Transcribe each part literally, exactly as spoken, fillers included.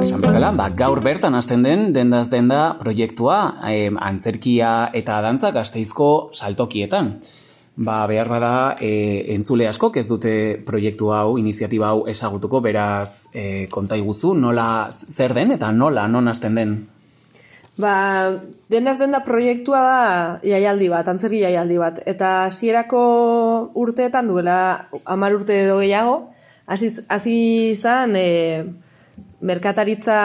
esan bezala, ba, gaur bertan hasten den dendaz denda proiektua eh, antzerkia eta dantza Gasteizko saltokietan. Ba, behar bada e, entzule askok ez dute proiektu hau, iniziatiba hau ezagutuko, beraz e, konta iguzu, nola zer den eta nola, non hasten den? Ba, dendaz denda proiektua da jaialdi bat, antzerki jaialdi bat, eta hasierako urteetan duela hamar urte edo gehiago, hasi izan e, merkataritza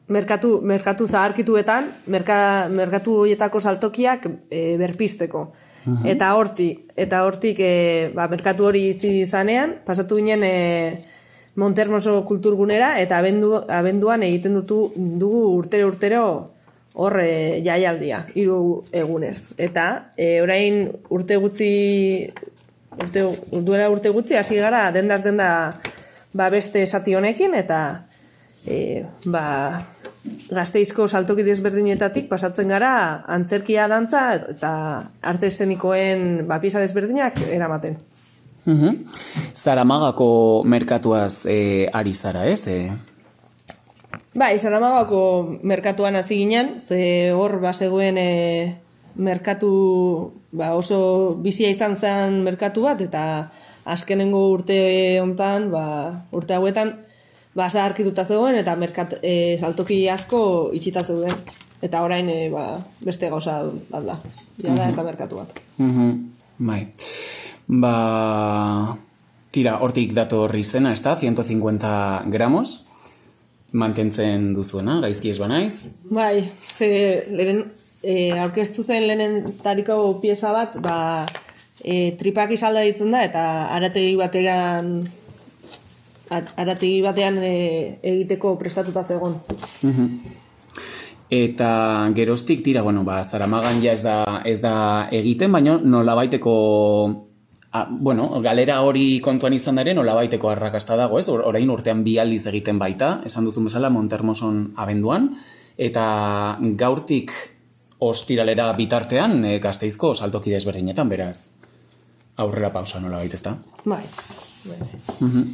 merkatu, merkatu zaharkituetan, merka, merkatu horietako saltokiak e, berpisteko. Uh-huh. Eta hortik, eta hortik e, ba, merkatu hori itzi izanean, pasatu ginen e, Montermoso kulturgunera, eta abendu, abenduan egiten dutu, dugu urtero-urtero hor e, jaialdia, hiru egunez. Eta e, orain urte gutxi, urte, duela urte gutxi, hasi gara dendaz denda ba, beste esati honekin, eta E, ba, Gasteizko saltoki desberdinetatik pasatzen gara antzerkia, dantza eta arte eszenikoen ba, pieza desberdinak eramaten. Uh-huh. Zaramagako merkatuaz e, ari zara, ez? E? Bai, Zaramagako merkatuan hasi ginen, ze hor bazegoen e, merkatu ba, oso bizia izan zen merkatu bat, eta azkenengo urte hontan, ba, urte hauetan, ba, zaharkituta zegoen eta merkat, e, saltoki asko itxita zeuden. Eta orain e, ba, beste gauza bat da. Ja da, ez da merkatu bat. Uh-huh. Bai. Ba, tira, hortik dator izena, ez da, ciento cincuenta gramos, mantentzen duzuena, gaizki ez banaiz? Bai, ze lehen, e, aurkeztu zen lehenen tariko pieza bat, ba, e, tripak izalda ditzen da, eta arategi batean arategi batean e, egiteko prestatuta zegoen. Uh-huh. Eta geroztik tira, bueno, ba, Zaramagan ja ez da, ez da egiten, baina nolabaiteko, a, bueno, galera hori kontuan izan daren nolabaiteko arrakasta dago, ez? Orain urtean bi aldiz egiten baita, esan duzun bezala Montermoson abenduan, eta gaurtik ostiralera bitartean e, Gasteizko saltoki desberdinetan, beraz, aurrera pausa nolabait, ez da? Bai. Bai. Uh-huh.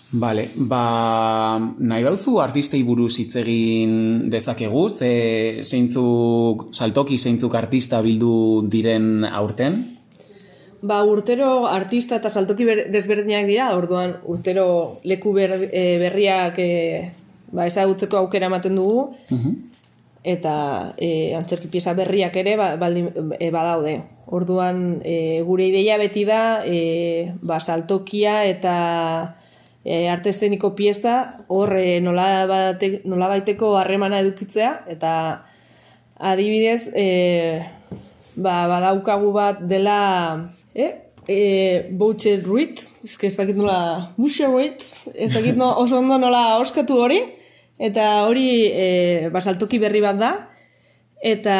Vale, ba, nahi bauzu artistei buruz hitz egin dezakegu, ze zeintzuk saltoki, zeintzuk artista bildu diren aurten? Ba, urtero artista eta saltoki ber, desberdinak dira, orduan urtero leku ber, e, berriak e, ba, ezagutzeko aukera ematen dugu, uh-huh. eta e, antzerki pieza berriak ere ba, baldin, e, badaude. Orduan e, gure ideia beti da e, ba, saltokia eta E, arte eszeniko pieza hor e, nola, bate, nola baiteko harremana edukitzea, eta adibidez e, ba, badaukagu bat dela e, e, Boucher Ruiz, ez dakit nola Boucher Ruiz, ez dakit no, oso ondo nola oskatu hori, eta hori e, ba, saltoki berri bat da, eta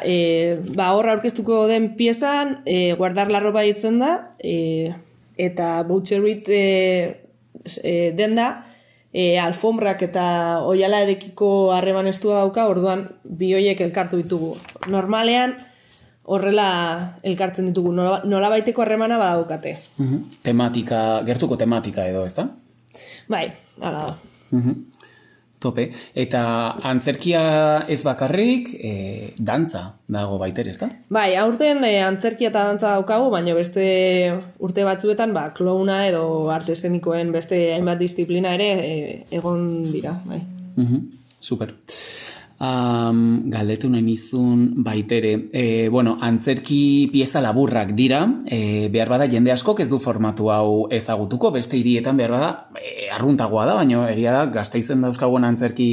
e, ba, hor aurkeztuko den piezan e, guardar la roba ditzen da, e, eta Boucher Ruiz e, E, denda, e, alfombrak eta oialarekiko harreman estua dauka, orduan bi hoiek elkartu ditugu. Normalean horrela elkartzen ditugu, nola, nola baiteko harremana badaukate. Uh-huh. Tematika, gertuko tematika edo, ez da? Bai, hala da. Uh-huh. Tope. Eta antzerkia ez bakarrik, e, dantza dago baiter, ez da? Bai, aurten e, antzerkia eta dantza daukagu, baina beste urte batzuetan, ba, klouna edo arte eszenikoen beste hainbat disiplina ere e, egon dira, bai. Uh-huh. Super. Um, galdetu nahi nizun baitere. E, bueno, antzerki pieza laburrak dira, e, behar bada jende askok ez du formatu hau ezagutuko, beste hirietan behar bada e, arruntagoa da, baina egia da Gasteizen dauzkagoen antzerki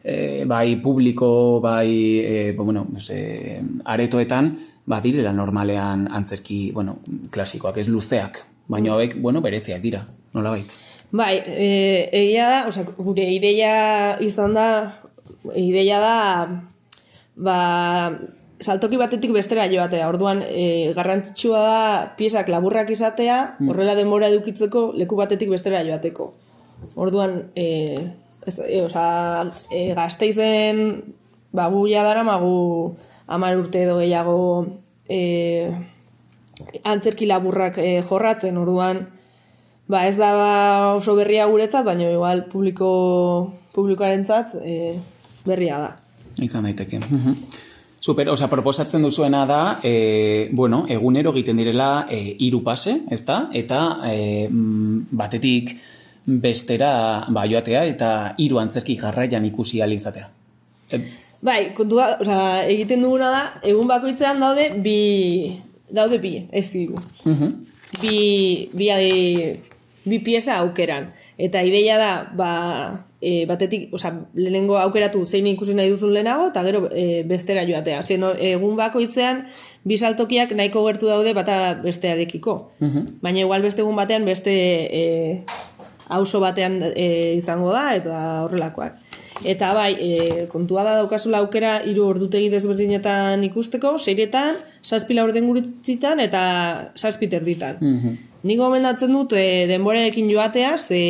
e, bai publiko, bai e, bueno, e, aretoetan, ba, direla normalean antzerki, bueno, klasikoak, ez luzeak, baina hauek, bueno, bereziak dira, nolabait? Bai, e, egia da, osea, gure ideia izan da, ideia da ba, saltoki batetik bestera joatea. Orduan e, garrantzitsua da piezak laburrak izatea, horrela denbora edukitzeko leku batetik bestera joateko. Orduan e, ez, e, oza, e, Gasteizen ba, guia dara magu hamar urte edo gehiago e, antzerki laburrak e, jorratzen. Orduan ba ez da oso berria guretzat, baina igual publiko, publikoarentzat e, berria da. Izan daiteke. Super, osea, proposatzen duzuena da, e, bueno, egunero egiten direla e, hiru pase, ezta? Eta e, batetik bestera ba, joatea eta hiru antzerki jarraian ikusi ahal izatea. E... Bai, kontua, osea, egiten duguna da, egun bakoitzean daude bi, daude bi, ez digu. Uh-huh. Bi, bi, bi pieza aukeran. Eta ideia da, ba, e, batetik, osea, lehenengo aukeratu zein ikusi nahi duzun lehenago, eta gero e, bestera joatea. Zer, egun bakoitzean, bi saltokiak nahiko gertu daude bata bestearekiko. Uh-huh. Baina igual beste egun batean, beste e, auzo batean e, izango da, eta horrelakoak. Eta bai, e, kontua da daukazula aukera hiru ordutegi desberdinetan ikusteko, seiretan, zazpi laurden guritzitan eta zazpi terditan. Mm-hmm. Nik gomendatzen dut e, denborarekin joateaz, e,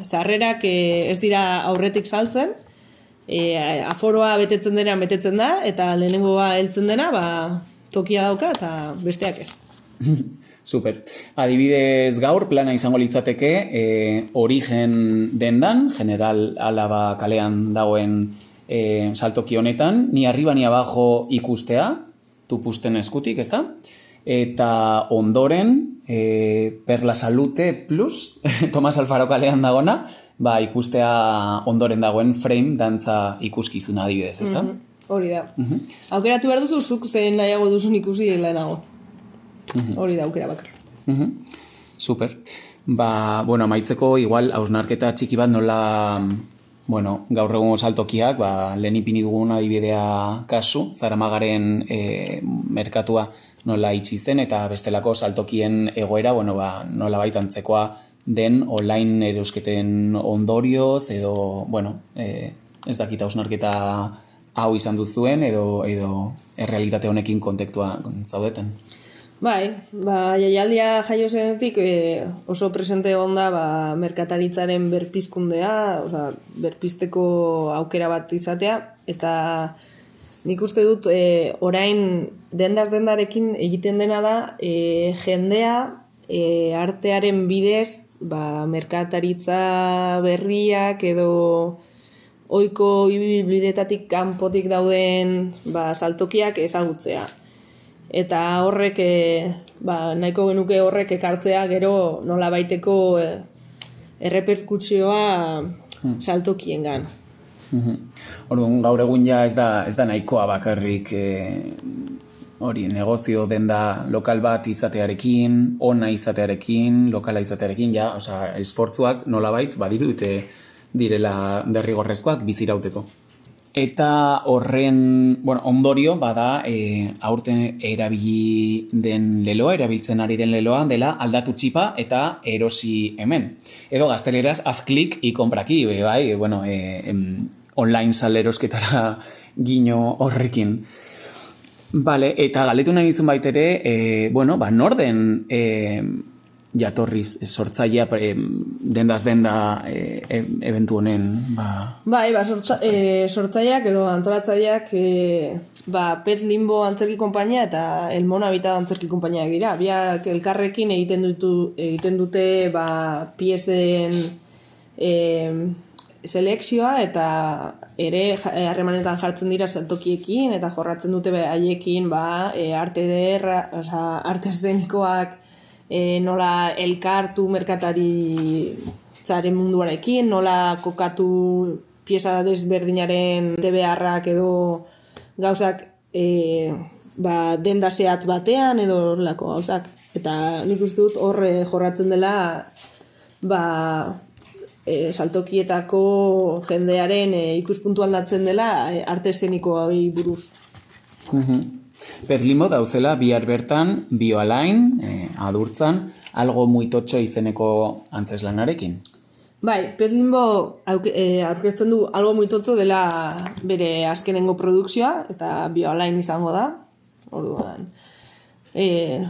sarrerak e, ez dira aurretik saltzen, e, aforoa betetzen dena betetzen da, eta lehenengoa heltzen dena, ba, tokia dauka eta besteak ez. Super. Adibidez gaur plana izango litzateke e, Origen dendan, General Alaba kalean dagoen e, saltoki honetan, ni arriba ni abajo ikustea, tupusten eskutik, ezta? Eta ondoren e, Perla Salute Plus, Tomas Alfaro kalean dagona, ba, ikustea ondoren dagoen frame dantza ikuskizuna adibidez, ezta? Mm-hmm. Hori da. Mm-hmm. Aukeratu behar duzu, zuk zein nahiago duzun ikusi lehenago. Hori da aukera bakar. Uh-huh. Super. Ba, bueno, amaitzeko igual hausnarketa txiki bat nola, bueno, gaur egun saltokiak, ba, lehen ipini dugun adibidea kasu, Zaramagaren e, merkatua nola itxi zen, eta bestelako saltokien egoera, bueno, ba, nola baitantzekoa den online erosketen ondorioz, edo, bueno, e, ez dakit hausnarketa hau izan duzuen, edo, edo errealitate honekin kontektua zaudeten. Bai, ba, jaialdia jaio zenetik e, oso presente egon da ba, merkataritzaren berpizkundea, oza, berpizteko aukera bat izatea, eta nik uste dut e, orain dendaz dendarekin egiten dena da e, jendea e, artearen bidez ba, merkataritza berriak edo ohiko bidetatik kanpotik dauden ba, saltokiak ezagutzea. Eta horrek, e, ba, nahiko genuke horrek ekartzea gero nola baiteko e, erreperkutsioa hmm. saltokiengan. Mm-hmm. Orduan, gaur egun ja ez da, ez da nahikoa bakarrik e, hori negozio denda lokal bat izatearekin, ona izatearekin, lokala izatearekin, ja, osea, esfortzuak nolabait badirute direla derrigorrezkoak bizirauteko. Eta horren, bueno, ondorio bada e, aurten erabili den leloa, erabiltzen ari den leloa dela aldatu txipa eta erosi hemen. Edo gazteleraz haz klik y compra aquí, bai, bueno, e, em, online salerosketara gino horrekin. Vale, eta galetu nahi izun baitere, e, bueno, ba, norden e, jatorriz sortzailea e, dendaz denda e, e, eventu honen, ba... Bai, ba, sortza, e, sortzaileak edo antolatzaileak e, ba, Pez Limbo antzerki konpainia eta El Mono Habitado antzerki konpainiak dira. Biak elkarrekin egiten dutu, egiten dute ba, piesen e, selekzioa eta ere harremanetan jartzen dira saltokiekin eta jorratzen dute haiekin ba, e, arte derra, oza, arte eszenikoak E, nola elkartu merkatari zaren munduarekin, nola kokatu pieza desberdinaren beharrak edo gauzak e, ba, denda zehatz batean edo horrelako gauzak. Eta nik uste dut horre jorratzen dela ba, e, saltokietako jendearen e, ikuspuntu aldatzen dela e, arte eszenikoa buruz. Mhm. Pez Limbo dauzela bihar bertan bioalain, eh, adurtzan, algo muy totxo izeneko antzeslanarekin. Bai, Pez Limbo aurkezten du algo muy totxo dela bere azkenengo produkzioa eta bioalain izango da. Orduan. E,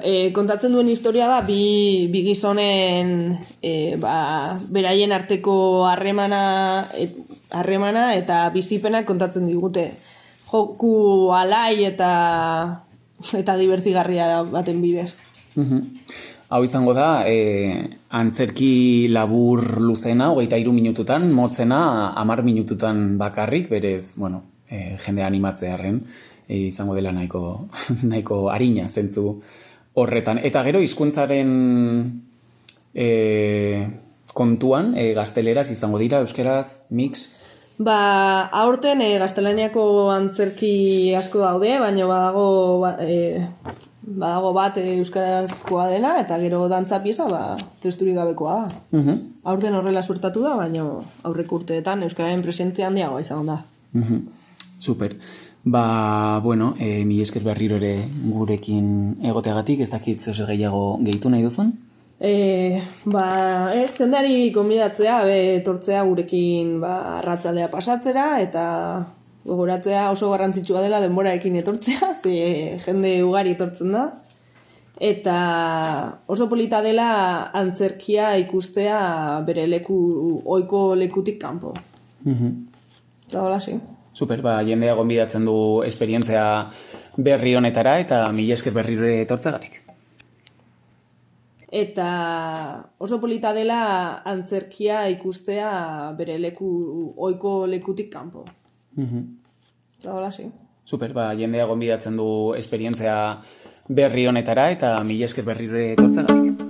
e, kontatzen duen historia da bi, bi gizonen e, ba, beraien arteko harremana et, harremana eta bizipenak kontatzen digute. Joku alai eta eta divertigarria baten bidez. Uh-huh. Hau izango da, e, antzerki labur luzena, hogeita hiru minututan, motzena, hamar minututan bakarrik, berez, bueno, e, jende animatzearen, e, izango dela nahiko, nahiko arina zentzu horretan. Eta gero, hizkuntzaren e, kontuan, e, gazteleraz izango dira, euskeraz, mix? Ba, aurten e, gaztelaniako antzerki asko daude, baina badago, ba, e, badago bat e, euskarazkoa dela, eta gero dantza pieza, ba, testurik gabekoa da. Uh-huh. Aurten horrela suertatu da, baina aurreko urteetan euskararen presentzia handiagoa izan da. Uh-huh. Super. Ba, bueno, e, mi esker berriro ere gurekin egoteagatik, ez dakit zeu gehiago gehitu nahi duzun? E, ba, ez, jendari konbidatzea, be, etortzea gurekin ba, arratzaldea pasatzera, eta gogoratzea oso garrantzitsua dela denboraekin etortzea, ze jende ugari etortzen da, eta oso polita dela antzerkia ikustea bere leku, ohiko lekutik kanpo. Uh-huh. Eta hola, sí. Super, ba, jendea gonbidatzen du esperientzia berri honetara, eta mila esker berriro etortzagatik. Eta oso polita dela antzerkia ikustea bere leku, ohiko lekutik kanpo. Uh-huh. Eta hola, sí. Super, ba, jendea gonbidatzen du esperientzia berri honetara, eta mila esker berriro etortzagatik.